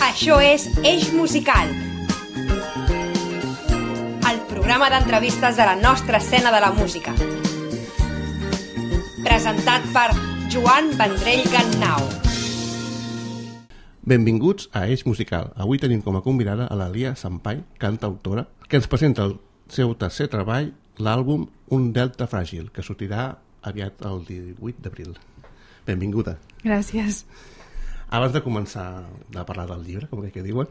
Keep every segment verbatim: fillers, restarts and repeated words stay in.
Això és Eix Musical, el programa d'entrevistes de la nostra escena de la música. Presentat per Joan Vendrell Gannau. Benvinguts a Eix Musical. Avui tenim com a convidada a la Lia Sampai, cantautora, que ens presenta el seu tercer treball, l'àlbum Un Delta Fràgil, que sortirà aviat el divuit d'abril. Benvinguda. Gràcies. Abans de començar a parlar del llibre, com que diuen,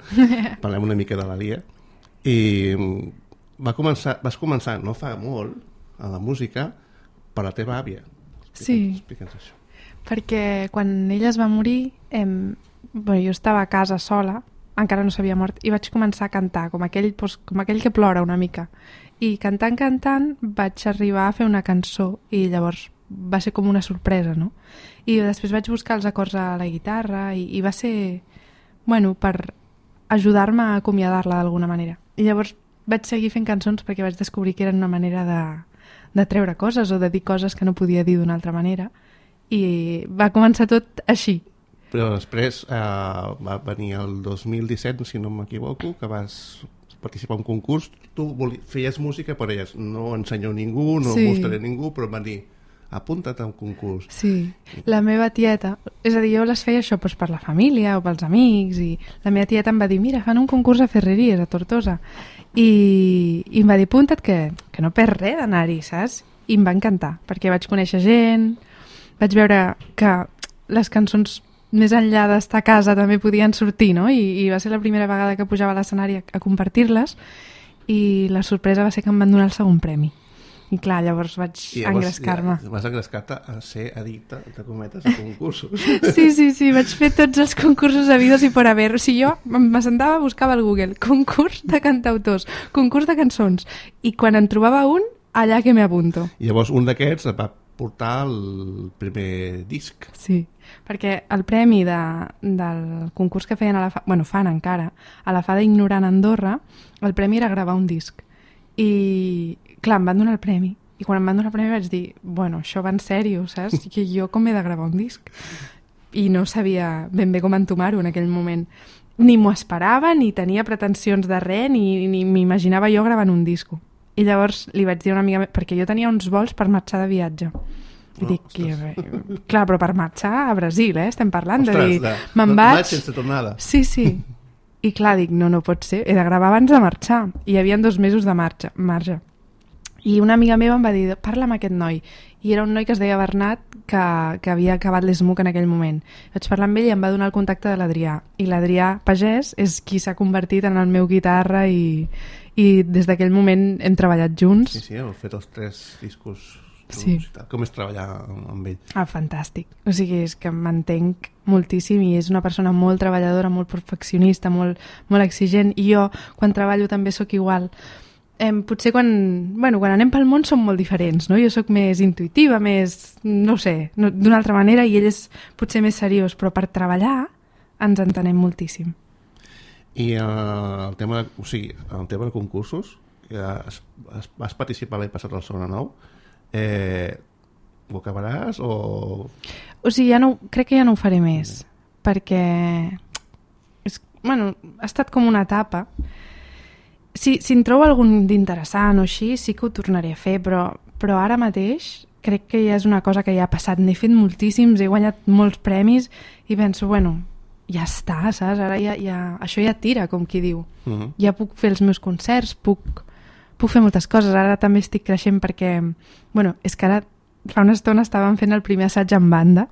parlem una mica de la Lia. I va començar, vas començar, no fa molt, a la música per la teva àvia. Explica'ns, sí, explica'ns això. Perquè quan ella es va morir, em... bueno, jo estava a casa sola, encara no s'havia mort, i vaig començar a cantar, com aquell, doncs, com aquell que plora una mica. I cantant, cantant, vaig arribar a fer una cançó, i llavors va ser com una sorpresa, no? I després vaig buscar els acords a la guitarra i, i va ser, bueno, per ajudar-me a acomiadar-la d'alguna manera. I llavors vaig seguir fent cançons perquè vaig descobrir que eren una manera de, de treure coses o de dir coses que no podia dir d'una altra manera. I va començar tot així. Però després eh, va venir el dos mil disset, si no m'equivoco, que vas participar en un concurs. Tu voli... feies música, però elles no ensenyeu ningú, no sí. mostraré ningú, però van dir apunta't a un concurs. Sí, la meva tieta, és a dir, jo les feia això doncs, per la família o pels amics, i la meva tieta em va dir, mira, fan un concurs a Ferreries, a Tortosa, i, i em va dir, apunta't que, que no perds res d'anar-hi, saps? I em va encantar, perquè vaig conèixer gent, vaig veure que les cançons més enllà d'estar a casa també podien sortir, no? I, i va ser la primera vegada que pujava a l'escenari a, a compartir-les, i la sorpresa va ser que em van donar el segon premi. I clar, llavors vaig engrescar-me. Ja, vas engrescar-te a ser addicte, entre cometes, a concursos. Sí, sí, sí, vaig fer tots els concursos habidos i por haver. O sigui, jo m'assentava, buscava al Google concurs de cantautors, concurs de cançons, i quan en trobava un, allà que m'apunto. I llavors un d'aquests va portar el primer disc. Sí, perquè el premi de, del concurs que feien a la Fa, bueno, fan encara, a la Fada Ignorant Andorra, el premi era gravar un disc. I clar, em van donar el premi. I quan em van donar el premi vaig dir, bueno, això va en sèrio, saps? Que jo com he de gravar un disc? I no sabia ben bé com entomar-ho en aquell moment. Ni m'ho esperava, ni tenia pretensions de res, ni, ni m'imaginava jo gravant un disco. I llavors li vaig dir a una amiga, perquè jo tenia uns vols per marxar de viatge. I oh, dic, que, clar, però per marxar a Brasil, eh? Estem parlant ostres, de dir, de, me'n vaig... sense tornada. Sí, sí. I clar, dic, no, no pot ser, he de gravar abans de marxar. I hi havia dos mesos de marxa, marge. I una amiga meva em va dir, parla amb aquest noi. I era un noi que es deia Bernat, que, que havia acabat l'E S M U C en aquell moment. Vaig parlar amb ell i em va donar el contacte de l'Adrià. I l'Adrià Pagès és qui s'ha convertit en el meu guitarra i, i des d'aquell moment hem treballat junts. Sí, sí, heu fet els tres discos. Sí. Com és treballar amb ell? Ah, fantàstic. O sigui, és que m'entenc moltíssim i és una persona molt treballadora, molt perfeccionista, molt, molt exigent. I jo, quan treballo, també sóc igual. Eh, potser quan, bueno, quan anem pel món som molt diferents, no? Jo sóc més intuïtiva, més, no sé, no, d'una altra manera, i ell és potser més seriós, però per treballar ens entenem moltíssim. I eh, el tema, o sigui, el tema de concursos, eh, has, has, vas participar l'any passat al Sona Nou, eh, ho acabaràs o...? O sigui, ja no, crec que ja no ho faré més, mm. perquè és, bueno, ha estat com una etapa. Si, si en trobo algun d'interessant o així, sí que ho tornaré a fer, però, però ara mateix crec que ja és una cosa que ja ha passat. N'he fet moltíssims, he guanyat molts premis i penso, bueno, ja està, saps? Ara ja, ja, això ja tira, com qui diu. Uh-huh. Ja puc fer els meus concerts, puc, puc fer moltes coses. Ara també estic creixent perquè, bueno, és que ara fa una estona estàvem fent el primer assaig en banda.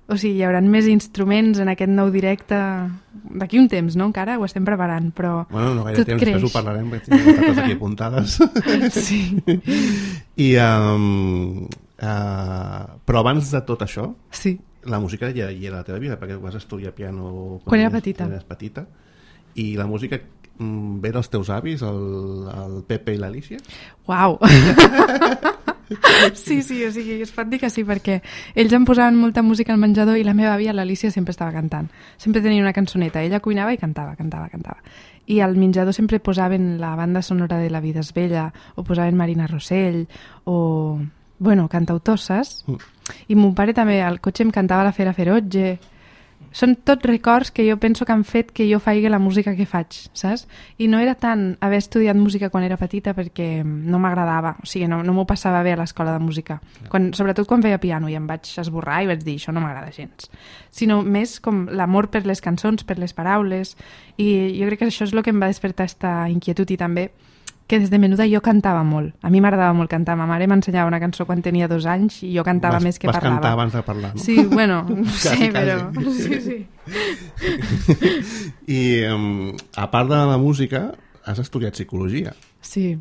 O sigui, hi haurà més instruments en aquest nou directe d'aquí un temps, no? Encara ho estem preparant, però bueno, no gaire tot temps, creix. Després ho parlarem, perquè tinc moltes coses aquí apuntades. Sí. I, um, uh, però abans de tot això, sí. la música ja hi era a la teva vida, perquè vas estudiar piano quan, quan era petita. Quan eres petita. I la música um, ve dels teus avis, el, el Pepe i l'Alicia? Uau! Sí, sí, o sigui, es pot dir que sí, perquè ells em posaven molta música al menjador i la meva àvia, l'Alicia, sempre estava cantant. Sempre tenia una cançoneta. Ella cuinava i cantava, cantava, cantava. I al menjador sempre posaven la banda sonora de La vida és bella, o posaven Marina Rossell, o, bueno, cantautors, saps? Mm. I mon pare també, al cotxe em cantava La fera ferotge, són tots records que jo penso que han fet que jo faci la música que faig, saps? I no era tant haver estudiat música quan era petita perquè no m'agradava, o sigui, no, no m'ho passava bé a l'escola de música, quan, sobretot quan feia piano i em vaig esborrar i vaig dir això no m'agrada gens, sinó més com l'amor per les cançons, per les paraules, i jo crec que això és el que em va despertar aquesta inquietud i també que des de menuda jo cantava molt. A mi m'agradava molt cantar. Ma mare m'ensenyava una cançó quan tenia dos anys i jo cantava vas, més que vas parlava. Vas cantar abans de parlar, no? Sí, bueno, no sé, quasi, però... quasi. Sí, sí. I um, a part de la música, has estudiat psicologia. Sí,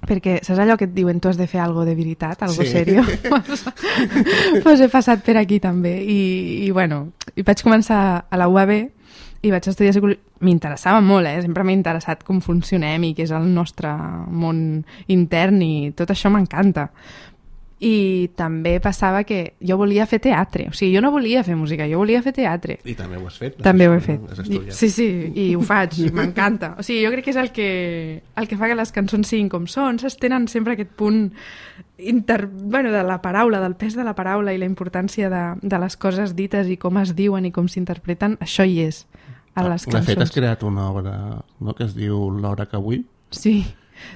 perquè saps allò que et diuen tu has de fer algo de veritat, algo sí. serio? Pues he passat per aquí també. I, i bueno, i vaig començar a la U A B i vaig estudiar psicologia. M'interessava molt, eh? Sempre m'ha interessat com funcionem i què és el nostre món intern i tot això m'encanta. I també passava que jo volia fer teatre, o sigui, jo no volia fer música, jo volia fer teatre. I també ho has fet. També ho he fet. I, sí, sí, i ho faig, i m'encanta. O sigui, jo crec que és el que, el que fa que les cançons siguin com són, saps? Tenen sempre aquest punt inter... bueno, de la paraula, del pes de la paraula i la importància de, de les coses dites i com es diuen i com s'interpreten, això hi és a les cançons. De fet, has creat una obra, no?, que es diu L'hora que vull. Sí.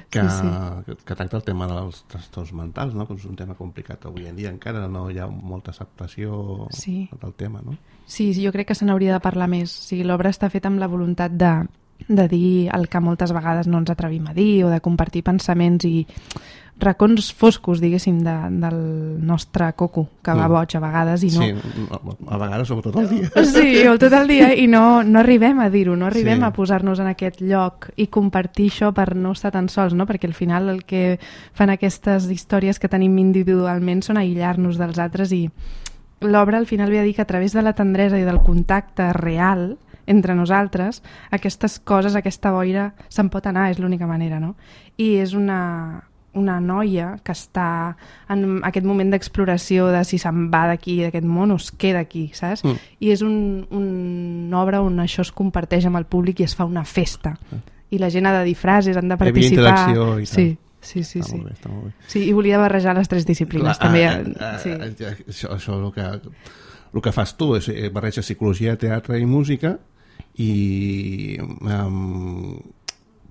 Que, sí, sí. que, que tracta el tema dels trastorns mentals, no? Que és un tema complicat avui en dia, encara no hi ha molta acceptació sí. del tema, no? Sí, jo crec que se n'hauria de parlar més. O sigui, l'obra està feta amb la voluntat de, de dir el que moltes vegades no ens atrevim a dir o de compartir pensaments i racons foscos, diguéssim, de, del nostre coco, que va boig a vegades i no... Sí, a vegades o tot el dia. Sí, o tot el dia, i no, no arribem a dir-ho, no arribem sí. a posar-nos en aquest lloc i compartir això per no estar tan sols, no? Perquè al final el que fan aquestes històries que tenim individualment són aïllar-nos dels altres i l'obra al final ve a dir que a través de la tendresa i del contacte real entre nosaltres, aquestes coses, aquesta boira se'n pot anar, és l'única manera, no? I és una... una noia que està en aquest moment d'exploració de si se'n va d'aquí, d'aquest món, o es queda aquí, saps? Mm. I és un, un, una obra on això es comparteix amb el públic i es fa una festa. Mm. I la gent ha de dir frases, han de participar. Hi havia interacció i tal. Sí, sí, sí. Està sí. molt bé, està molt bé. Sí, i volia barrejar les tres disciplines. Clar, també. A, a, sí. a, això, això el que, el que fas tu és barrejar psicologia, teatre i música, i um,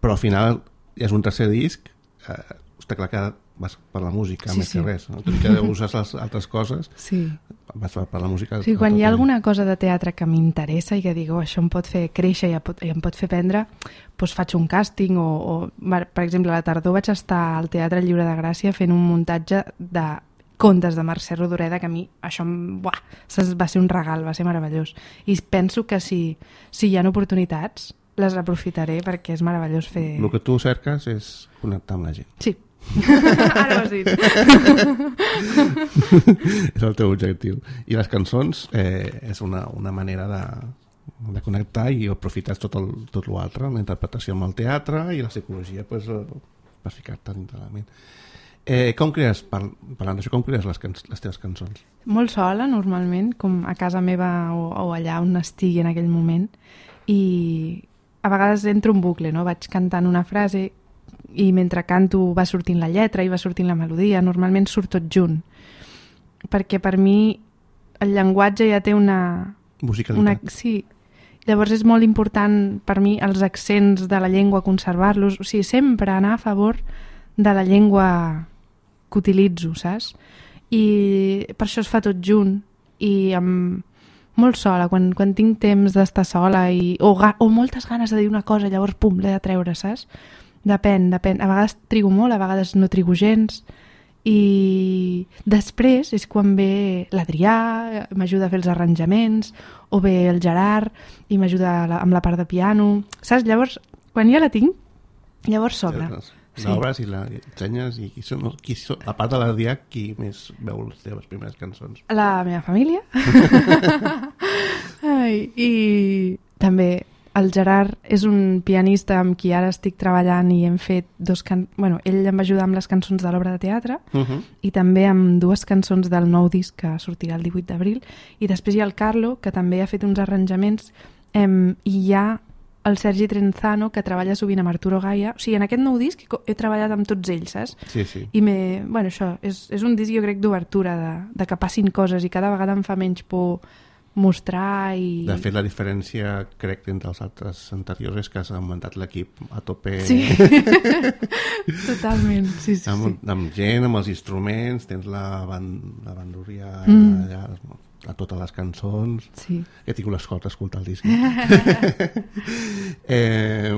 però al final és un tercer disc, eh, està clar que vas per la música sí, més sí. que res, no? Tot i que uses les altres coses sí. vas per la música. Sí, quan hi ha alguna cosa de teatre que m'interessa i que dic, oh, això em pot fer créixer i em pot fer aprendre, doncs faig un càsting o, o, per exemple, a la tardor vaig estar al Teatre Lliure de Gràcia fent un muntatge de contes de Mercè Rodoreda, que a mi això buah, va ser un regal, va ser meravellós. I penso que si, si hi ha oportunitats les aprofitaré perquè és meravellós fer... El que tu cerques és connectar amb la gent. Sí. Ara ho has dit. És el teu objectiu. I les cançons eh, és una, una manera de, de connectar i aprofitar tot el, tot l'altre, la interpretació amb el teatre i la psicologia pues, per ficar-te dintre la ment. Eh, com crees, parlant d'això, com crees les, can les teves cançons? Molt sola, normalment, com a casa meva o, o allà on estigui en aquell moment, i a vegades entro un bucle, no? Vaig cantant una frase i mentre canto va sortint la lletra i va sortint la melodia, normalment surt tot junt, perquè per mi el llenguatge ja té una... musicalitat. Una, sí, llavors és molt important per mi els accents de la llengua, conservar-los, o sigui, sempre anar a favor de la llengua que utilitzo, saps? I per això es fa tot junt i amb... molt sola, quan, quan tinc temps d'estar sola i, o, ga, o moltes ganes de dir una cosa, llavors pum, l'he de treure, saps? Depèn, depèn. A vegades trigo molt, a vegades no trigo gens. I després és quan ve l'Adrià, m'ajuda a fer els arranjaments, o ve el Gerard i m'ajuda amb la part de piano. Saps? Llavors, quan ja la tinc, llavors sobra. Sí. L'obres i la ensenyes i qui són, qui són, a part de l'Adrià, qui més veu les teves primeres cançons? La meva família. Ai, i també el Gerard és un pianista amb qui ara estic treballant i hem fet dos can... bueno, ell em va ajudar amb les cançons de l'obra de teatre uh -huh. i també amb dues cançons del nou disc que sortirà el divuit d'abril, i després hi ha el Carlo, que també ha fet uns arranjaments, em, i hi ha el Sergi Trenzano, que treballa sovint amb Arturo Gaia. O sigui, en aquest nou disc he treballat amb tots ells, saps? Sí, sí. I me... bueno, això, és, és un disc, jo crec, d'obertura, de, de que passin coses, i cada vegada em fa menys por mostrar i... De fet, la diferència, crec, entre els altres anteriors és que has augmentat l'equip a tope. Sí, totalment, sí, sí, amb, sí. amb gent, amb els instruments, tens la, ban la bandúria Mm. allà, a totes les cançons. Sí. He tingut l'escolta a escoltar el disc. eh,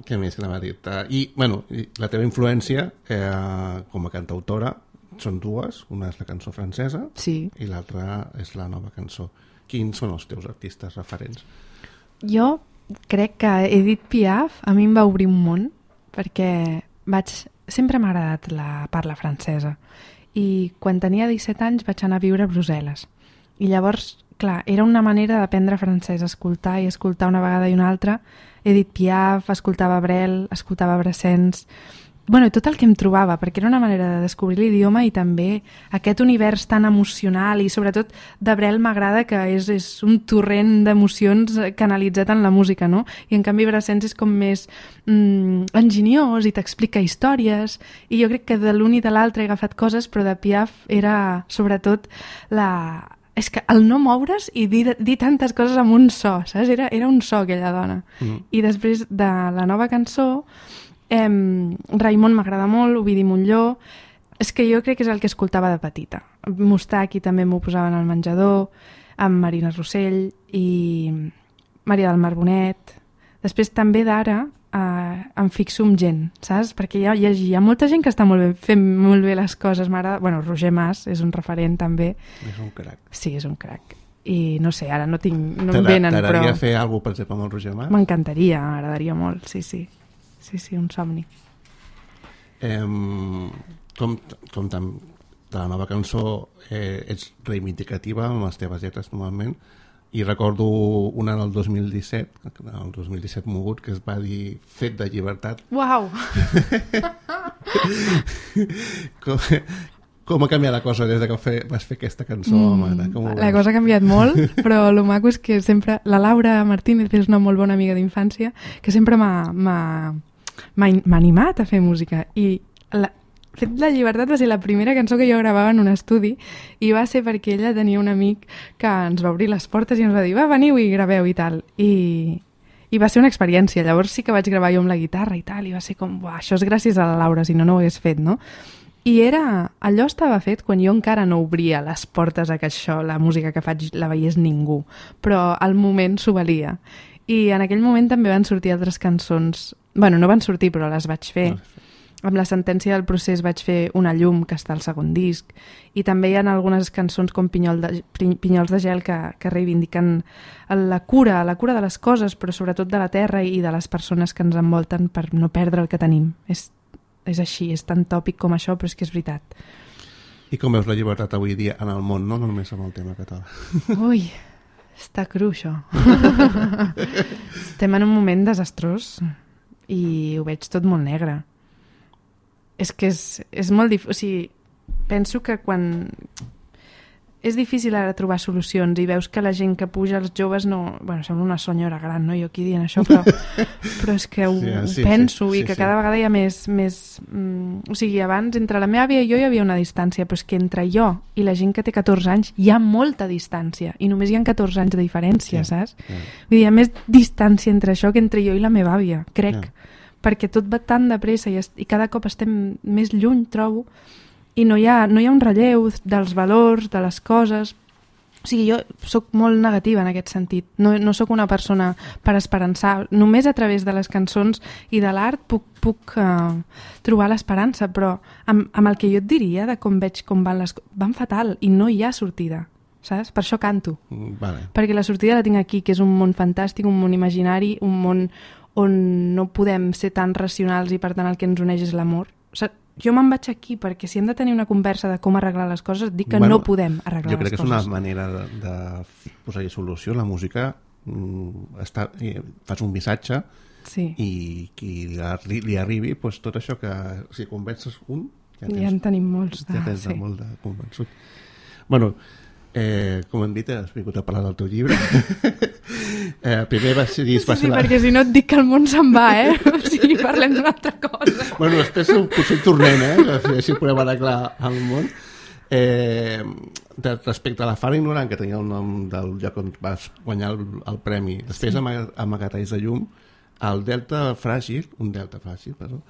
què més que anava a dir? I, bueno, la teva influència eh, com a cantautora són dues, una és la cançó francesa Sí. i l'altra és la nova cançó. Quins són els teus artistes referents? Jo crec que Edith Piaf a mi em va obrir un món perquè vaig... sempre m'ha agradat la parla francesa i quan tenia disset anys vaig anar a viure a Brussel·les i llavors, clar, era una manera d'aprendre francès, escoltar i escoltar una vegada i una altra Edith Piaf, escoltava Brel, escoltava Brassens, bueno, tot el que em trobava, perquè era una manera de descobrir l'idioma i també aquest univers tan emocional i sobretot de Brel m'agrada que és, és un torrent d'emocions canalitzat en la música, no? I en canvi Brassens és com més mm, enginyós i t'explica històries i jo crec que de l'un i de l'altre he agafat coses, però de Piaf era sobretot la... és que el no moure's i dir, dir tantes coses amb un so, saps? Era, era un so aquella dona. Mm. I després de la nova cançó Eh, Raimon m'agrada molt, Ovidi Montllor, és que jo crec que és el que escoltava de petita. Mustaki també m'ho posaven al menjador, amb Marina Rossell i Maria del Mar Bonet. Després també d'ara eh, em fixo en gent, saps? Perquè hi ha, hi, ha, hi ha molta gent que està molt bé, fent molt bé les coses. M'agrada... Bueno, Roger Mas és un referent també. És un crac. Sí, és un crac. I no sé, ara no tinc... No em venen, però... T'agradaria fer alguna cosa, per exemple, amb el Roger Mas? M'encantaria, m'agradaria molt, sí, sí. Sí, sí, un somni. Eh, com, com tam, de la nova cançó eh, ets reivindicativa amb les teves lletres normalment i recordo una del dos mil disset, el dos mil disset mogut, que es va dir Fet de llibertat. Uau! com, com ha canviat la cosa des que fe, vas fer aquesta cançó, mm, mare? Com la cosa ha canviat molt, però el maco és que sempre... La Laura Martínez és una molt bona amiga d'infància que sempre m'ha... m'ha animat a fer música i la, Fet la llibertat va ser la primera cançó que jo gravava en un estudi i va ser perquè ella tenia un amic que ens va obrir les portes i ens va dir va, veniu i graveu i tal i, i va ser una experiència, llavors sí que vaig gravar jo amb la guitarra i tal i va ser com, buah, això és gràcies a la Laura, si no no ho hagués fet, no? I era, allò estava fet quan jo encara no obria les portes a que això, la música que faig la veiés ningú, però al moment s'ho valia. I en aquell moment també van sortir altres cançons, bueno, no van sortir però les vaig fer. Amb la sentència del procés vaig fer Una llum, que està al segon disc, i també hi ha algunes cançons com Pinyol de, Pinyols de gel que, que reivindiquen la cura, la cura de les coses, però sobretot de la terra i de les persones que ens envolten per no perdre el que tenim. És És així, és tan tòpic com això, però és que és veritat. I com veus la llibertat avui dia en el món, no, no només amb el tema català? Ui, està cru, això. Estem en un moment desastrós i ho veig tot molt negre. És que és, és molt difícil... O sigui, penso que quan... És difícil ara trobar solucions i veus que la gent que puja, els joves, no... Bueno, sembla una senyora gran, no? Jo aquí dient això, però, però és que ho, sí, sí, ho penso sí, sí, i que sí, cada vegada hi ha més... més mm, o sigui, abans, entre la meva àvia i jo hi havia una distància, però és que entre jo i la gent que té catorze anys hi ha molta distància i només hi ha catorze anys de diferència, sí, saps? Sí. Vull dir, hi ha més distància entre això que entre jo i la meva àvia, crec. Sí. Perquè tot va tan de pressa i, i cada cop estem més lluny, trobo, i no hi ha, no hi ha un relleu dels valors, de les coses. O sigui, jo sóc molt negativa en aquest sentit. No, no sóc una persona per esperançar. Només a través de les cançons i de l'art puc, puc uh, trobar l'esperança, però amb, amb el que jo et diria de com veig com van les coses, van fatal i no hi ha sortida. Saps? Per això canto. Vale. Perquè la sortida la tinc aquí, que és un món fantàstic, un món imaginari, un món on no podem ser tan racionals i per tant el que ens uneix és l'amor. O sigui, jo me'n vaig aquí perquè si hem de tenir una conversa de com arreglar les coses, dic que bueno, no podem arreglar les coses. Jo crec que és una manera de, de posar-hi solució. La música mm, està, fas un missatge sí. i qui li, li arribi pues, tot això que si convences un ja, tens, ja en tenim molts de, ja tens sí. molt de convençut. Bueno, eh, com hem dit, has vingut a parlar del teu llibre. eh, primer va ser... Sí, sí, la... perquè si no et dic que el món se'n va, eh? O sigui, parlem d'una altra cosa. Bueno, després potser hi tornem, eh? Així podem arreglar el món. Eh, de, respecte a la Fara Ignorant, que tenia el nom del lloc on vas guanyar el, el premi, després sí. Amagatalls de llum, el Delta Fràgil, un Delta Fràgil, perdó,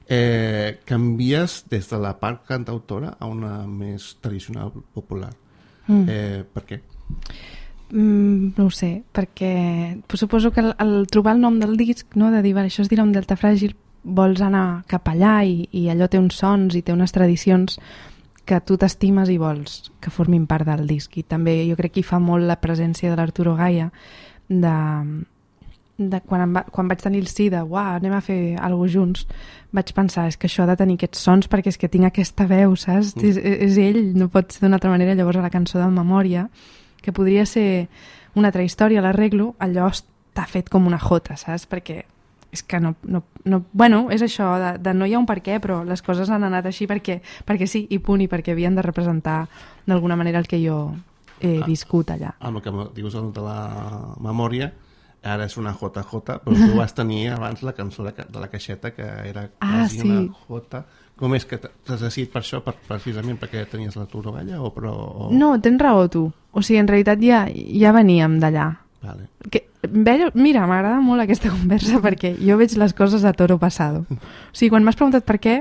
eh, canvies des de la part cantautora a una més tradicional popular. Mm. Eh, per què? Mm, no ho sé, perquè suposo que el, el trobar el nom del disc, no, de dir, això es dirà un Delta Fràgil, vols anar cap allà i, i allò té uns sons i té unes tradicions que tu t'estimes i vols que formin part del disc. I també jo crec que hi fa molt la presència de l'Arturo Gaia, de, de quan, em va, quan vaig tenir el sí de uah, anem a fer alguna cosa junts, vaig pensar, és que això ha de tenir aquests sons perquè és que tinc aquesta veu, saps? Mm. És, és ell, no pot ser d'una altra manera. Llavors a la cançó de Memòria, que podria ser una altra història, l'arreglo, allò està fet com una jota, saps? Perquè és que no, no, no... Bueno, és això, de, de no hi ha un per què, però les coses han anat així perquè, perquè sí, i punt, i perquè havien de representar d'alguna manera el que jo he viscut allà. Amb el que dius de la Memòria, ara és una J J, però tu vas tenir abans la cançó de, de la caixeta, que era ah, quasi sí. una J. Com és que t'has decidit per això, per, precisament perquè tenies l'Arturo Gaia? O però, o... No, tens raó tu. O sigui, en realitat ja, ja veníem d'allà. Vale. Que, mira, m'agrada molt aquesta conversa perquè jo veig les coses a toro passado. O sigui, quan m'has preguntat per què,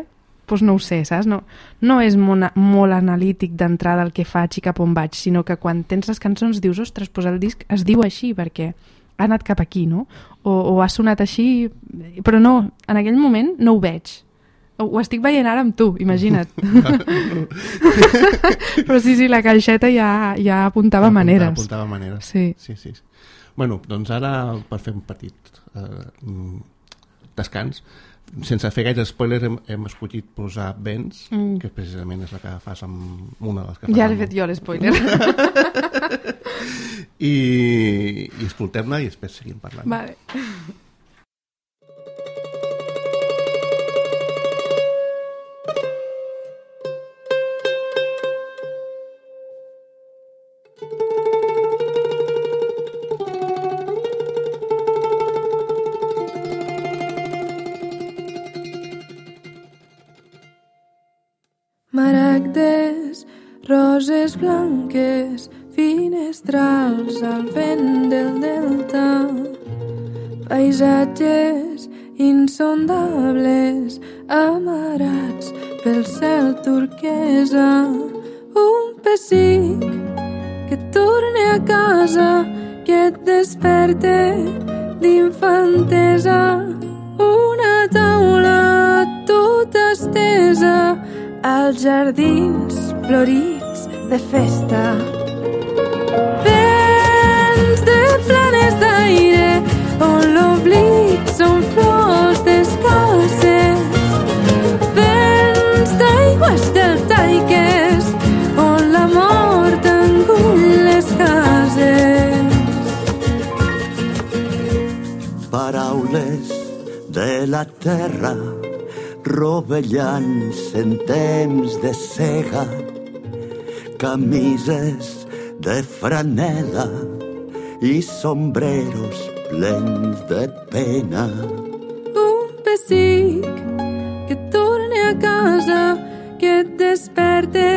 doncs no ho sé, saps? No, no és molt, molt analític d'entrada el que faig i cap on vaig, sinó que quan tens les cançons dius, ostres, doncs el disc es diu així perquè ha anat cap aquí, no? O, o ha sonat així, però no, en aquell moment no ho veig. Ho, ho estic veient ara amb tu, imagina't. Però sí, sí, la caixeta ja, ja apuntava apuntava, maneres. Apuntava maneres. Sí. Sí, sí. Bueno, doncs ara, per fer un petit eh, descans, sense fer gaire spoiler, hem, hem escollit posar Vents, mm. que precisament és la que fas amb una de les que fas. Ja l'he fet jo, l'espoiler. I, i escoltem-la i després seguim parlant. Vale. Maragdes, roses blanques, finestrals al vent del delta, paisatges insondables amarats pel cel turquesa, un pessic que torne a casa, que et desperte d'infantesa, una taula tota estesa als jardins florits de festa. Vents de planes d'aire on l'oblit són flors descalces, vents d'aigües deltaiques on la mort engull les cases. Paraules de la terra rovellants en temps de cega, camises de franela i sombreros plens de pena. Un pessic que torne a casa, que et desperte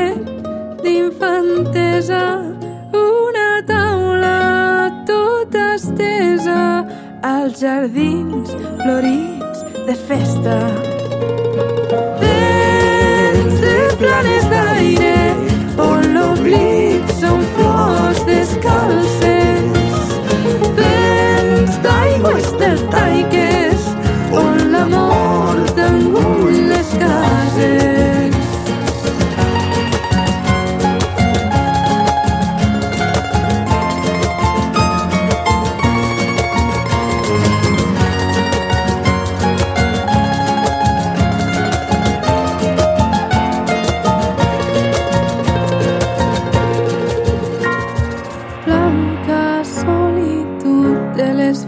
d'infantesa, una taula tota estesa als jardins florits de festa. Vents de planes d'aire on l'oblit són flors descalces, vents d'aigües deltaiques on la mort engull les cases.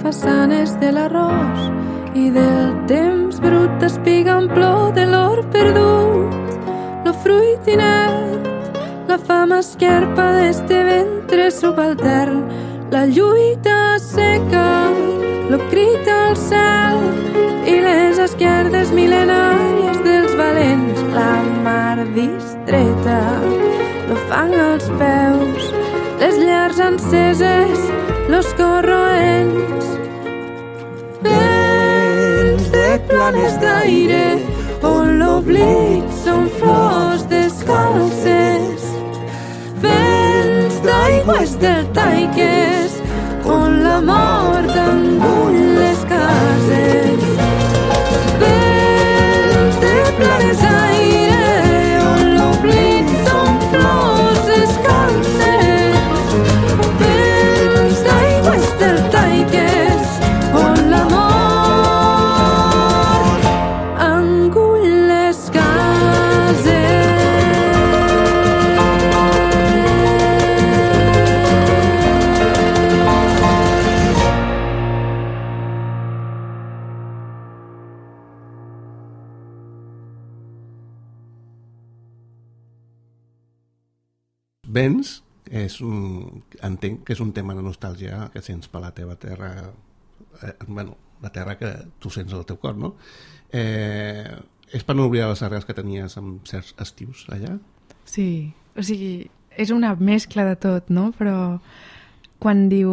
Façanes de l'arròs i del temps brut d'espiga en plor de l'or perdut, lo fruit inert, la fama esquerpa d'este ventre subaltern, la lluita seca, lo crit al cel i les esquerdes mil·lenàries dels valents, la mar distreta, lo fang als peus, les llars enceses, los corroents. Vents de planes d'aire, on l'oblit són flors descalces. Vents d'aigües deltaiques, on la mort engull les cases. Vents de planes d'aire, on l'oblit són flors descalces. Vents d'aigües deltaiques, on la mort engull les cases. Vents és un, entenc que és un tema de nostàlgia que sents per la teva terra, eh, bueno, la terra que tu sents al teu cor, no? Eh, és per no oblidar les arrels que tenies amb certs estius allà? Sí, o sigui, és una mescla de tot, no? Però quan diu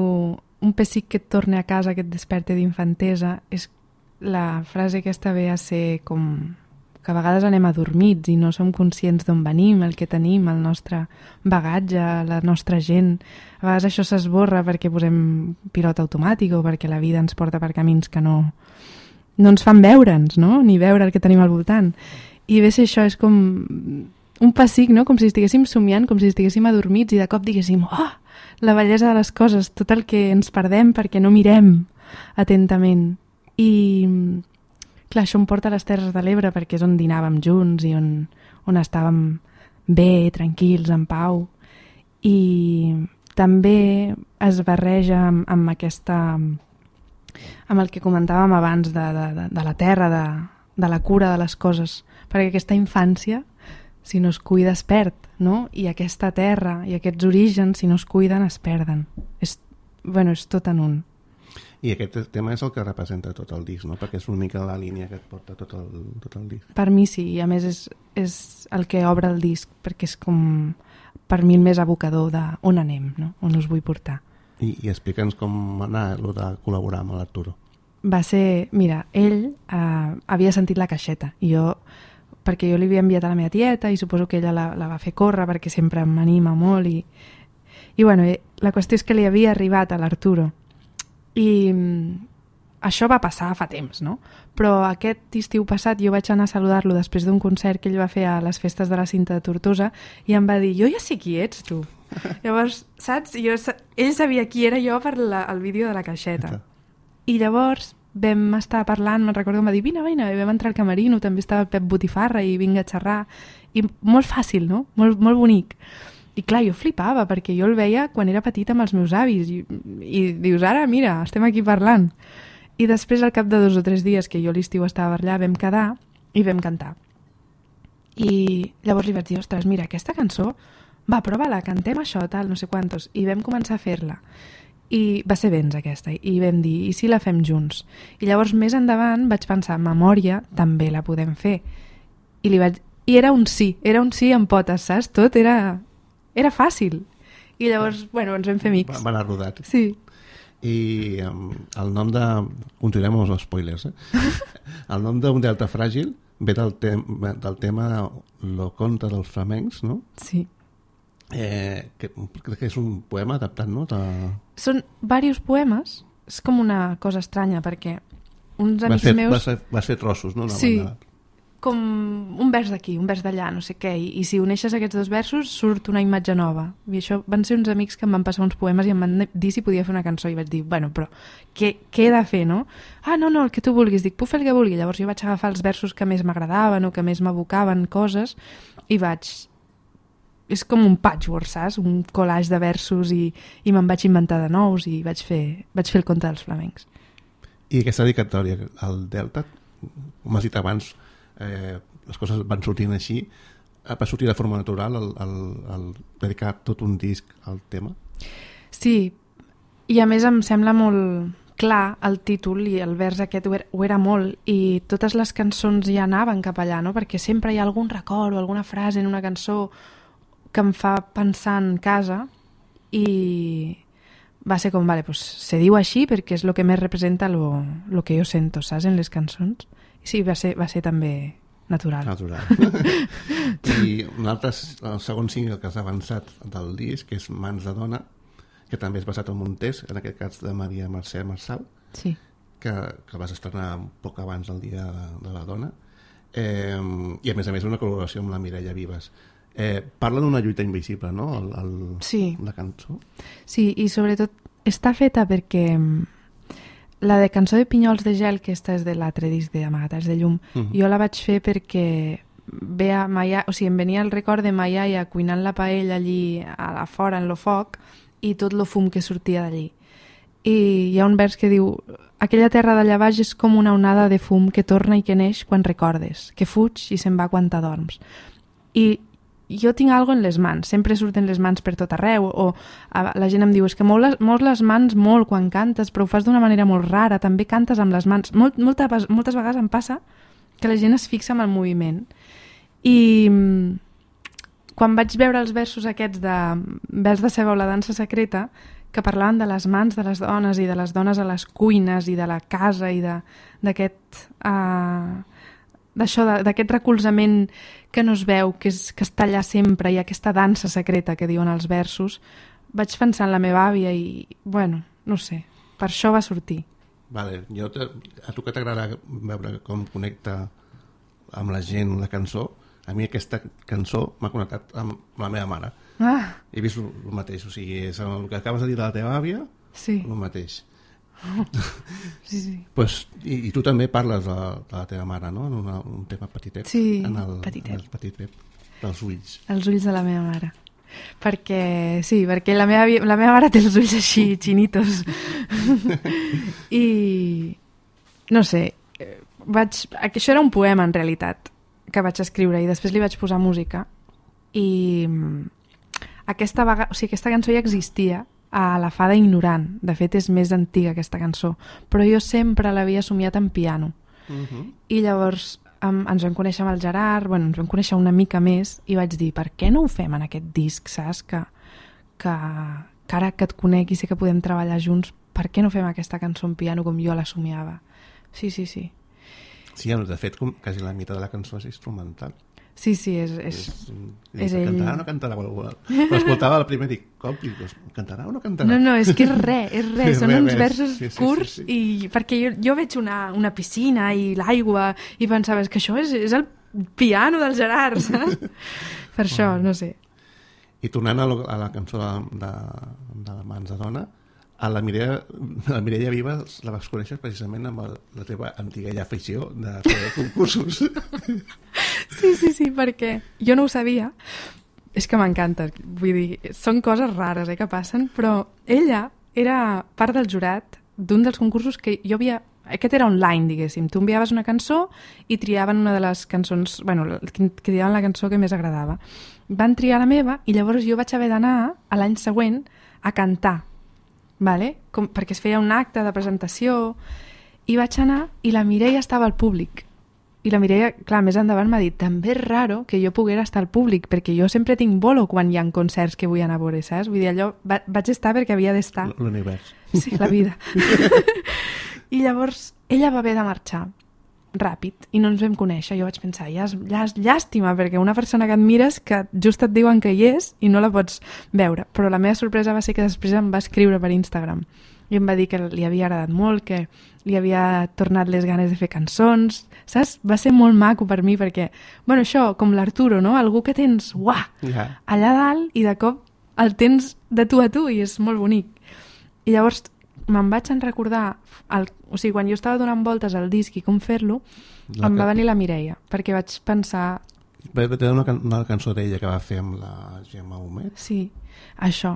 un pessic que et torne a casa, que et desperte d'infantesa, és la frase aquesta ve a ser com que a vegades anem adormits i no som conscients d'on venim, el que tenim, el nostre bagatge, la nostra gent. A vegades això s'esborra perquè posem pilot automàtic o perquè la vida ens porta per camins que no, no ens fan veure'ns, no? Ni veure el que tenim al voltant. I bé, si això és com un pessic, no? Com si estiguéssim somiant, com si estiguéssim adormits i de cop diguéssim, oh, la bellesa de les coses, tot el que ens perdem perquè no mirem atentament. I clar, això em porta a les Terres de l'Ebre perquè és on dinàvem junts i on, on estàvem bé, tranquils, en pau. I també es barreja amb, amb aquesta... amb el que comentàvem abans de, de, de, de la terra, de, de la cura de les coses, perquè aquesta infància, si no es cuida, es perd, no? I aquesta terra i aquests orígens, si no es cuiden, es perden. És, bueno, és tot en un. I aquest tema és el que representa tot el disc, no? Perquè és una mica la línia que et porta tot el, tot el disc. Per mi sí, i a més és, és el que obre el disc, perquè és com, per mi, el més abocador d'on anem, no? On us vull portar. I, i explica'ns com anar el de col·laborar amb l'Arturo. Va ser, mira, ell eh, havia sentit la caixeta, i jo, perquè jo li havia enviat a la meva tieta, i suposo que ella la, la va fer córrer, perquè sempre m'anima molt, i, i bueno, la qüestió és que li havia arribat a l'Arturo. I això va passar fa temps, no? Però aquest estiu passat jo vaig anar a saludar-lo després d'un concert que ell va fer a les festes de la Cinta de Tortosa i em va dir, jo ja sé qui ets, tu. Llavors, saps? Jo, ell sabia qui era jo per la, el vídeo de la caixeta. I llavors vam estar parlant, me'n recordo que em va dir, vine, vine, i vam entrar al camerino, també estava el Pep Botifarra i vinga a xerrar. I molt fàcil, no? Molt, molt bonic. I clar, jo flipava, perquè jo el veia quan era petit amb els meus avis, i, i dius, ara, mira, estem aquí parlant. I després, al cap de dos o tres dies que jo a l'estiu estava allà, vam quedar i vam cantar. I llavors li vaig dir, ostres, mira, aquesta cançó, va, prova-la, cantem això, tal, no sé quantos. I vam començar a fer-la. I va ser Vents, aquesta, i vam dir, i si la fem junts? I llavors, més endavant, vaig pensar, Memòria també la podem fer. I, li vaig... I era un sí, era un sí amb potes, saps? Tot era... Era fàcil. I llavors, bueno, ens vam fer amics. Va, va anar rodat. Sí. I um, el nom de... Continuem amb els spoilers, eh? El nom d'un delta fràgil ve del, tem del tema Lo conte dels flamencs, no? Sí. Eh, que, crec que és un poema adaptat, no? De... Són diversos poemes. És com una cosa estranya, perquè uns amics va ser, meus... Va ser, va ser trossos, no? Una sí. Banda... Com un vers d'aquí, un vers d'allà, no sé què, i, i si uneixes aquests dos versos surt una imatge nova. I això van ser uns amics que em van passar uns poemes i em van dir si podia fer una cançó, i vaig dir, bueno, però què, què he de fer, no? Ah, no, no, el que tu vulguis. Dic, puc fer el que vulgui. Llavors jo vaig agafar els versos que més m'agradaven o que més m'evocaven coses i vaig... És com un patchwork, saps? Un collage de versos i, i me'n vaig inventar de nous i vaig fer, vaig fer el conte dels flamencs. I aquesta dedicatòria al Delta, com has dit abans, Eh, les coses van sortint així, va sortir de forma natural el, el, el dedicar tot un disc al tema? Sí, i a més em sembla molt clar el títol i el vers aquest ho era, ho era molt, i totes les cançons ja anaven cap allà, no? Perquè sempre hi ha algun record o alguna frase en una cançó que em fa pensar en casa i va ser com, vale, pues se diu així perquè és el que més representa lo, lo que jo sento, saps, en les cançons. I sí, va ser, va ser també natural. Natural. I un altre, el segon single que has avançat del disc, que és Mans de dona, que també és basat en un test, en aquest cas de Maria Mercè Marçal, Sí. que, que vas estrenar un poc abans del Dia de, de la Dona, eh, i a més a més una col·laboració amb la Mireia Vives. Eh, parla d'una lluita invisible, no?, el, el, Sí. la cançó. Sí, i sobretot està feta perquè la de Cançó de Pinyols de Gel, que esta és de l'altre disc d'Amagatats de Llum, uh -huh. jo la vaig fer perquè ve a Maia, o sigui, em venia el record de ma iaia cuinant la paella allí a la fora, en lo foc, i tot lo fum que sortia d'allí. I hi ha un vers que diu: aquella terra d'allà baix és com una onada de fum que torna i que neix quan recordes, que fuig i se'n va quan t'adorms. I jo tinc algo en les mans, sempre surten les mans per tot arreu, o la gent em diu, és que mous les, mous les mans molt quan cantes, però ho fas d'una manera molt rara, també cantes amb les mans. Molt, molta, moltes vegades em passa que la gent es fixa en el moviment. I quan vaig veure els versos aquests de Ves de ceba o la dansa secreta, que parlaven de les mans de les dones i de les dones a les cuines i de la casa i d'aquest uh, d'això, d'aquest recolzament que no es veu, que, és, que està allà sempre, i aquesta dansa secreta que diuen els versos, vaig pensar en la meva àvia i, bueno, no sé, per això va sortir. Vale, jo te, a tu que t'agrada veure com connecta amb la gent la cançó, a mi aquesta cançó m'ha connectat amb la meva mare. Ah. He vist el, el mateix, o sigui, és el que acabes de dir de la teva àvia, sí. el mateix. Oh. Sí, sí. Pues, i, I tu també parles de, de la teva mare, no?, en una, un tema petitet. Sí, en el, petitet. En el petitet dels ulls. Els ulls de la meva mare. Perquè, sí, perquè la meva, la meva mare té els ulls així, xinitos. I, no sé, vaig, això era un poema, en realitat, que vaig escriure, i després li vaig posar música. I aquesta, vaga, o sigui, aquesta cançó ja existia a La fada ignorant. De fet, és més antiga aquesta cançó, però jo sempre l'havia somiat en piano. Uh-huh. I llavors um, ens vam conèixer amb el Gerard, bueno, ens vam conèixer una mica més, i vaig dir, per què no ho fem en aquest disc, saps? Que, que, que ara que et conec i sé que podem treballar junts, per què no fem aquesta cançó en piano com jo la somiava? Sí, sí, sí. Sí, de fet, com quasi la meitat de la cançó és instrumental. Sí, sí, és... És, és, és ell. Cantarà o no cantarà? Però escoltava el primer i dic, com? Cantarà o no cantarà? No, no, és que és res, és res. Són uns versos sí, sí, curts, sí, sí, sí. I perquè jo, jo veig una, una piscina i l'aigua i pensava, és que això és, és el piano del Gerard, saps? Per això, no sé. I tornant a, lo, a la cançó de, de, de Mans de dona, a la Mireia, la Mireia Vives la vas conèixer precisament amb el, la teva antiga afició de fer concursos. Sí, sí, sí, perquè jo no ho sabia. És que m'encanta, vull dir, són coses rares eh, que passen, però ella era part del jurat d'un dels concursos que jo havia... Aquest era online, diguéssim. Tu enviaves una cançó i triaven una de les cançons... Bueno, que triaven la cançó que més agradava. Van triar la meva i llavors jo vaig haver d'anar a l'any següent a cantar. Vale? Com, perquè es feia un acte de presentació i vaig anar i la Mireia estava al públic i la Mireia, clar, més endavant m'ha dit també és raro que jo poguera estar al públic perquè jo sempre tinc bolo quan hi ha concerts que vull anar a veure, saps? Vull dir, allò va, vaig estar perquè havia d'estar. L'univers. Sí, la vida. I llavors ella va haver de marxar ràpid i no ens vam conèixer. Jo vaig pensar, ja és, ja és llàstima, perquè una persona que admires que just et diuen que hi és i no la pots veure. Però la meva sorpresa va ser que després em va escriure per Instagram i em va dir que li havia agradat molt, que li havia tornat les ganes de fer cançons, saps? Va ser molt maco per mi perquè, bueno, això, com l'Arturo, no? Algú que tens, uah, yeah. allà dalt i de cop el tens de tu a tu i és molt bonic. I llavors me'n vaig en recordar, el, o sigui, quan jo estava donant voltes al disc i com fer-lo, em va venir la Mireia, perquè vaig pensar... Va tenir una, can una cançó d'ella que va fer amb la Gemma Humet? Sí, això.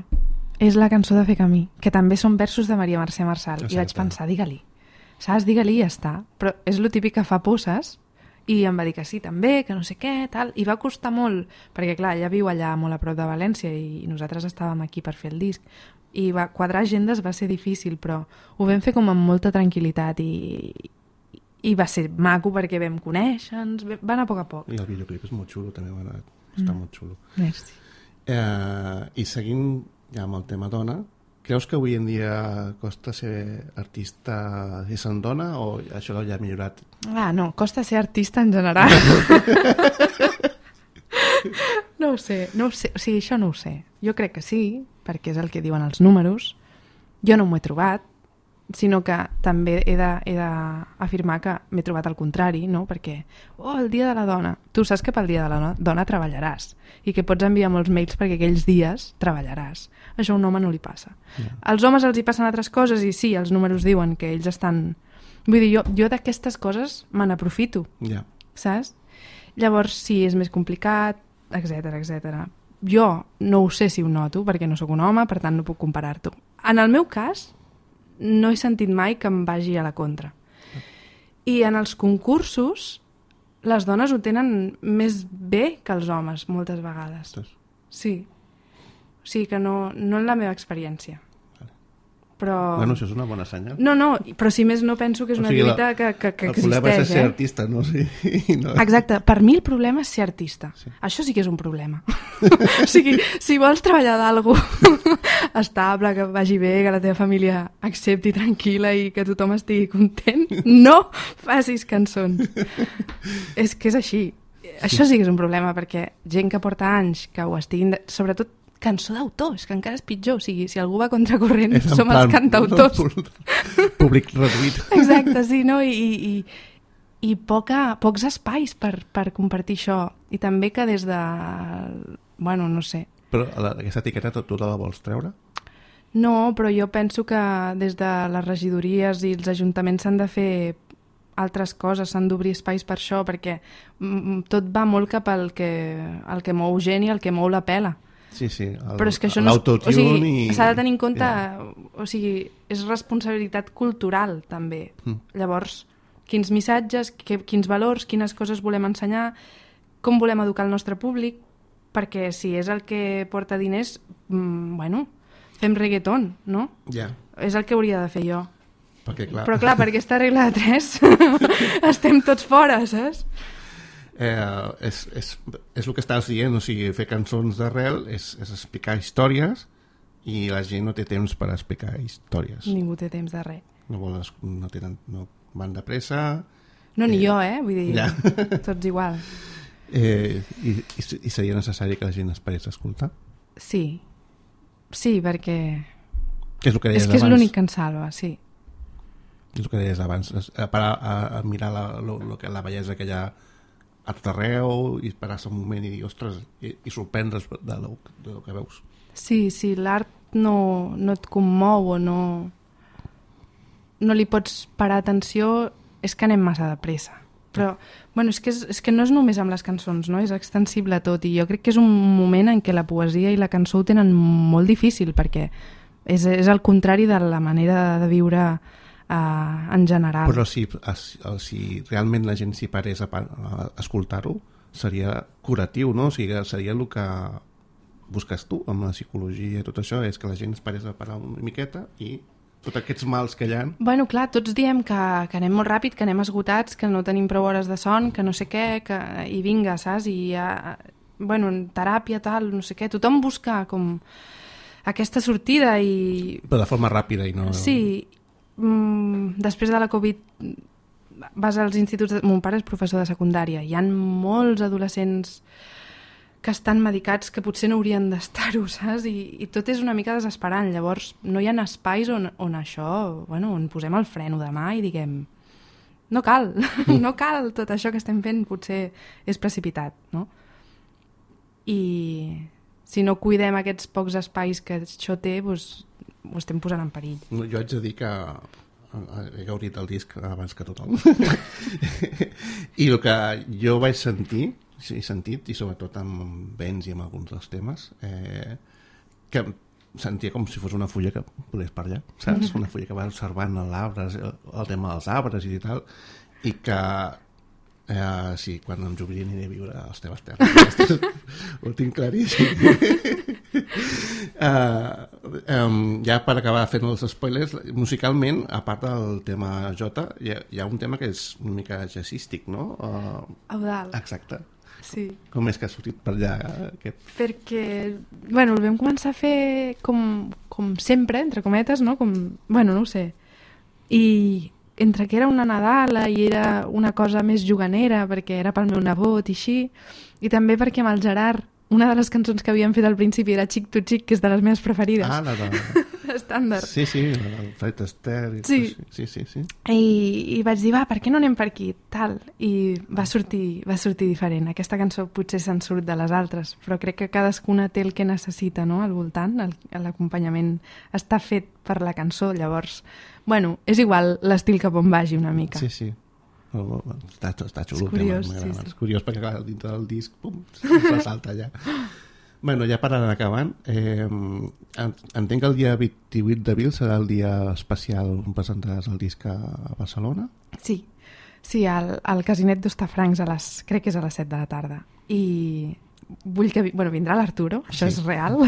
És la cançó de Fer camí, que també són versos de Maria Mercè Marçal. Exacte. I vaig pensar, digue-li. Saps? Digue-li i ja està. Però és lo típic que fa posses, i em va dir que sí, també, que no sé què, tal. I va costar molt, perquè clar, ella viu allà molt a prop de València i nosaltres estàvem aquí per fer el disc. I va, quadrar agendes va ser difícil, però ho vam fer com amb molta tranquil·litat i, i va ser maco perquè vam conèixer-nos, va anar a poc a poc. I el videoclip és molt xulo, també va anar, està mm. molt xulo. Merci. Eh, I seguint ja amb el tema dona, creus que avui en dia costa ser artista i se'n dona o això ja ha millorat? Ah, no, costa ser artista en general. No ho sé, no ho sé, o sigui, això no ho sé. Jo crec que sí, perquè és el que diuen els números. Jo no m'ho he trobat, sinó que també he d'afirmar que m'he trobat al contrari, no? Perquè, oh, el dia de la dona. Tu saps que pel dia de la dona, dona treballaràs i que pots enviar molts mails perquè aquells dies treballaràs. Això a un home no li passa. Yeah. Als homes els hi passen altres coses i sí, els números diuen que ells estan... Vull dir, jo, jo d'aquestes coses me n'aprofito, yeah. saps? Llavors, sí, és més complicat, etcètera, etcètera. Jo no ho sé si ho noto perquè no sóc un home, per tant no puc comparar-t'ho. En el meu cas, no he sentit mai que em vagi a la contra. I en els concursos, les dones ho tenen més bé que els homes, moltes vegades. Sí. O sigui que no, no en la meva experiència. Però... Bueno, això és una bona senyal. No, no, però si més no penso que és una o sigui, lluita la, que, que, que existeix. El problema és ser eh? artista, no? Sí, no? Exacte, per mi el problema és ser artista. Sí. Això sí que és un problema. O sigui, si vols treballar d'algú estable, que vagi bé, que la teva família accepti tranquil·la i que tothom estigui content, no facis cançons. És que és així. Això sí que és un problema, perquè gent que porta anys que ho estiguin... De... Sobretot cançó d'autor, és que encara és pitjor. O sigui, si algú va contracorrent, som plan, els cantautors. No, públic reduït. Exacte, sí, no? I, i, i poca, pocs espais per, per compartir això. I també que des de... Bueno, no sé. Però la, aquesta etiqueta tu la vols treure? No, però jo penso que des de les regidories i els ajuntaments s'han de fer altres coses, s'han d'obrir espais per això, perquè tot va molt cap al que, al que mou gent i al que mou la pela. Sí, sí, el, però és que això no és, o sigui, i... s'ha de tenir en compte, yeah. O sigui, és responsabilitat cultural també. Mm. Llavors, quins missatges, que, quins valors, quines coses volem ensenyar, com volem educar el nostre públic, perquè si és el que porta diners, mm, bueno, fem reggaeton, no? Ja. Yeah. És el que hauria de fer jo. Perquè, clar... Però clar, per aquesta regla de tres estem tots fora, saps? Eh, és, és, és el que estàs dient, o sigui, fer cançons d'arrel és, és explicar històries i la gent no té temps per explicar històries. Ningú té temps de res. No, volen, no, tenen, no van de pressa. No, ni eh, jo, eh? Vull dir, ja. Tots igual. Eh, i, i, I seria necessari que la gent esperés a escoltar? Sí. Sí, perquè... Que és el que deies abans. És que és abans. l'únic que en salva, sí. És el que deies abans. A, a, a, a mirar la, lo, lo que, la bellesa que hi ha a tot arreu i parar-se un moment i dir, ostres, i, i sorprendre's de lo, de lo que veus. Sí, sí, l'art no, no et commou o no, no li pots parar atenció, és que anem massa de pressa. Però, bueno, és que, és, és que no és només amb les cançons, no? És extensible a tot, i jo crec que és un moment en què la poesia i la cançó ho tenen molt difícil, perquè és, és el contrari de la manera de viure Uh, en general. Però si, si realment la gent s'hi parés a, a escoltar-ho, seria curatiu, no? O sigui, seria el que busques tu amb la psicologia i tot això, és que la gent es parés a parar una miqueta i tots aquests mals que hi ha... Bueno, clar, tots diem que, que anem molt ràpid, que anem esgotats, que no tenim prou hores de son, que no sé què, que... i vinga, saps? I uh, bueno, en teràpia, tal, no sé què, tothom busca com aquesta sortida i... Però de forma ràpida i no... Sí, Mm, després de la Covid vas als instituts de... Mon pare és professor de secundària, hi ha molts adolescents que estan medicats que potser no haurien d'estar-ho, saps? I, i tot és una mica desesperant. Llavors no hi ha espais on, on això, bueno, on posem el freno de mà i diguem no cal, mm. no cal tot això que estem fent, potser és precipitat, no? I si no cuidem aquests pocs espais que això té, doncs ho estem posant en perill. Jo haig de dir que he gaudit el disc abans que tothom. I el que jo vaig sentir, he sentit, i sobretot amb Benz i amb alguns dels temes, eh, que sentia com si fos una fulla que volés per allà, saps? Una fulla que va observant l'arbre, el tema dels arbres i tal, i que eh, sí, quan em jubilin aniré a viure a les teves terres. Ho tinc claríssim. Uh, um, ja per acabar fent els spoilers, musicalment, a part del tema Jota, hi ha, hi ha un tema que és una mica jazzístic, no? Uh, Eudald. Exacte. Sí. Com és que ha sortit per allà aquest? Perquè, bueno, el vam començar a fer com, com sempre, entre cometes, no? Com, bueno, no ho sé. I entre que era una Nadala i era una cosa més juganera, perquè era pel meu nebot i així, i també perquè amb el Gerard una de les cançons que havíem fet al principi era Xic tu xic, que és de les meves preferides. Ah, la de... Estàndard. Sí, sí, el Fred Astaire. Sí. Sí, sí, sí. I, I vaig dir, va, per què no anem per aquí? Tal. I va sortir, va sortir diferent. Aquesta cançó potser se'n surt de les altres, però crec que cadascuna té el que necessita, no?, al voltant. L'acompanyament està fet per la cançó, llavors... Bueno, és igual l'estil cap on vagi una mica. Sí, sí. Està, està xulo. És curiós, sí, sí. És curiós perquè clar, dintre del disc pum, se salta allà. Bueno, ja per anar acabant, eh, entenc que el dia vint-i-vuit d'abril serà el dia especial on presentaràs el disc a Barcelona. Sí, sí, al, al Casinet d'Hostafrancs, a les, crec que és a les set de la tarda. I vull que... Bueno, vindrà l'Arturo, això sí. És real.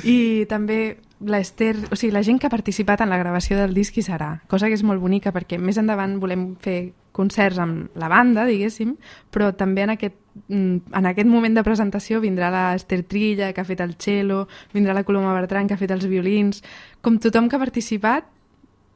I també l'Ester... O sigui, la gent que ha participat en la gravació del disc hi serà, cosa que és molt bonica perquè més endavant volem fer concerts amb la banda, diguéssim, però també en aquest, en aquest moment de presentació vindrà l'Ester Trilla, que ha fet el cello, vindrà la Coloma Bertran, que ha fet els violins, com tothom que ha participat,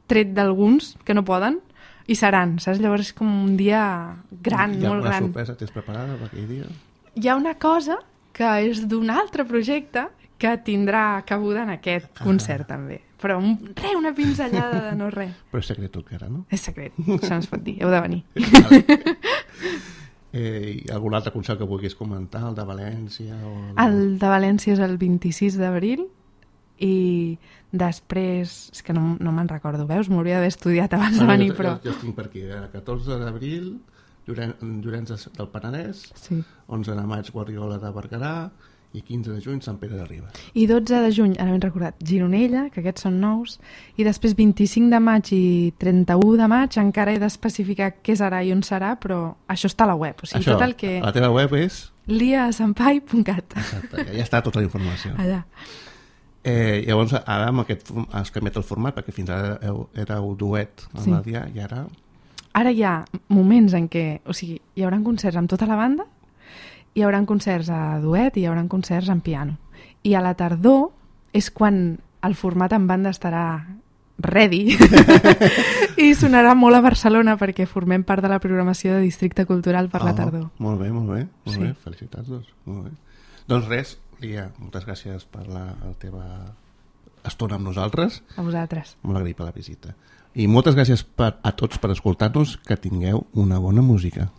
tret d'alguns que no poden, i seran, saps? Llavors és com un dia gran, molt gran. Hi ha una sorpresa tens preparada per aquell dia? Hi ha una cosa que és d'un altre projecte que tindrà cabuda en aquest ah. concert també. Però un, re, una pinzellada de no res. Però és secret encara, no? És secret, això no es pot dir, heu de venir. eh, algun altre concert que vulguis comentar, el de València? O el... el de València és el vint-i-sis d'abril i després, és que no, no me'n recordo, veus? M'hauria d'haver estudiat abans de venir, però... Jo, jo estic per aquí, el catorze d'abril, Llorenç del Penedès, sí. onze de maig Guardiola de Berguedà i quinze de juny Sant Pere de Ribes. I dotze de juny, ara ben recordat, Gironella, que aquests són nous, i després vint-i-cinc de maig i trenta-u de maig encara he d'especificar què serà i on serà, però això està a la web. O sigui, això, tot el que... la teva web és... lia sampai punt cat. Exacte, ja està tota la informació. Allà. Eh, llavors, ara amb aquest, has canviat el format, perquè fins ara éreu duet amb sí. la Dia, i ara... Ara hi ha moments en què, o sigui, hi haurà concerts amb tota la banda, hi haurà concerts a duet i hi haurà concerts en piano. I a la tardor és quan el format en banda estarà ready i sonarà molt a Barcelona perquè formem part de la programació de Districte Cultural per oh, la tardor. Molt bé, molt bé. Molt sí. bé. Felicitats, doncs. Molt bé. Doncs res, Lia, moltes gràcies per la, la teva estona amb nosaltres. A vosaltres. Molt agraït per la visita. I moltes gràcies per, a tots per escoltar-nos, que tingueu una bona música.